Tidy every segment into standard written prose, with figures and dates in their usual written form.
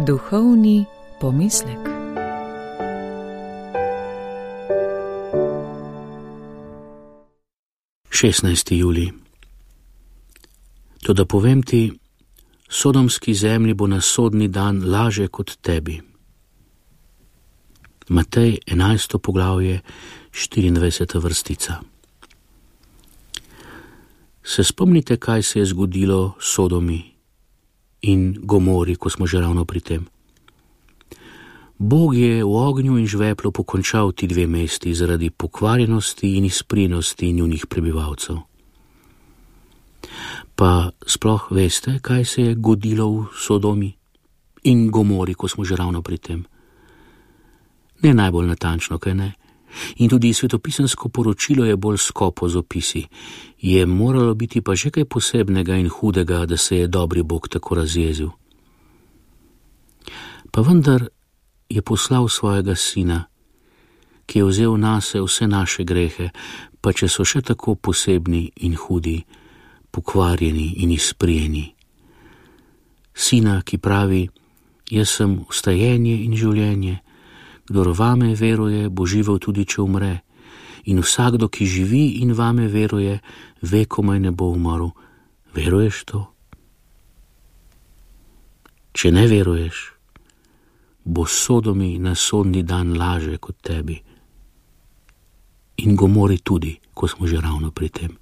Duhovni pomislek. Julij. Toda povem ti, sodomski zemlji bo na sodni dan laže kot tebi. Matej 11. poglavje, 24. vrstica. Se spomnite, kaj se je zgodilo Sodomi in Gomori, ko smo že ravno pri tem? Bog je v ognju in žveplu pokončal ti dve mesti zaradi pokvarjenosti in izprinosti njunih prebivalcev. Pa sploh veste, kaj se je godilo v Sodomi in Gomori, ko smo že ravno pri tem? Ne najbolj natančno, kaj ne? In tudi svetopisansko poročilo je bolj skopo z opisi. Je moralo biti pa že kaj posebnega in hudega, da se je dobri Bog tako razjezil. Pa vendar je poslal svojega sina, ki je vzel nase vse naše grehe, pa če so še tako posebni in hudi, pokvarjeni in izprijeni. Sina, ki pravi, jaz sem vstajenje in življenje, kdor vame veruje, bo živel tudi, če umre, in vsakdo, ki živi in vame veruje, vekomaj ne bo umrl. Veruješ to? Če ne veruješ, bo Sodomi na sodni dan laže kot tebi. In Gomori tudi, ko smo že ravno pri tem.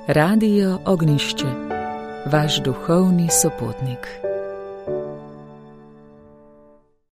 Radio Ognišče, vaš duhovni sopotnik.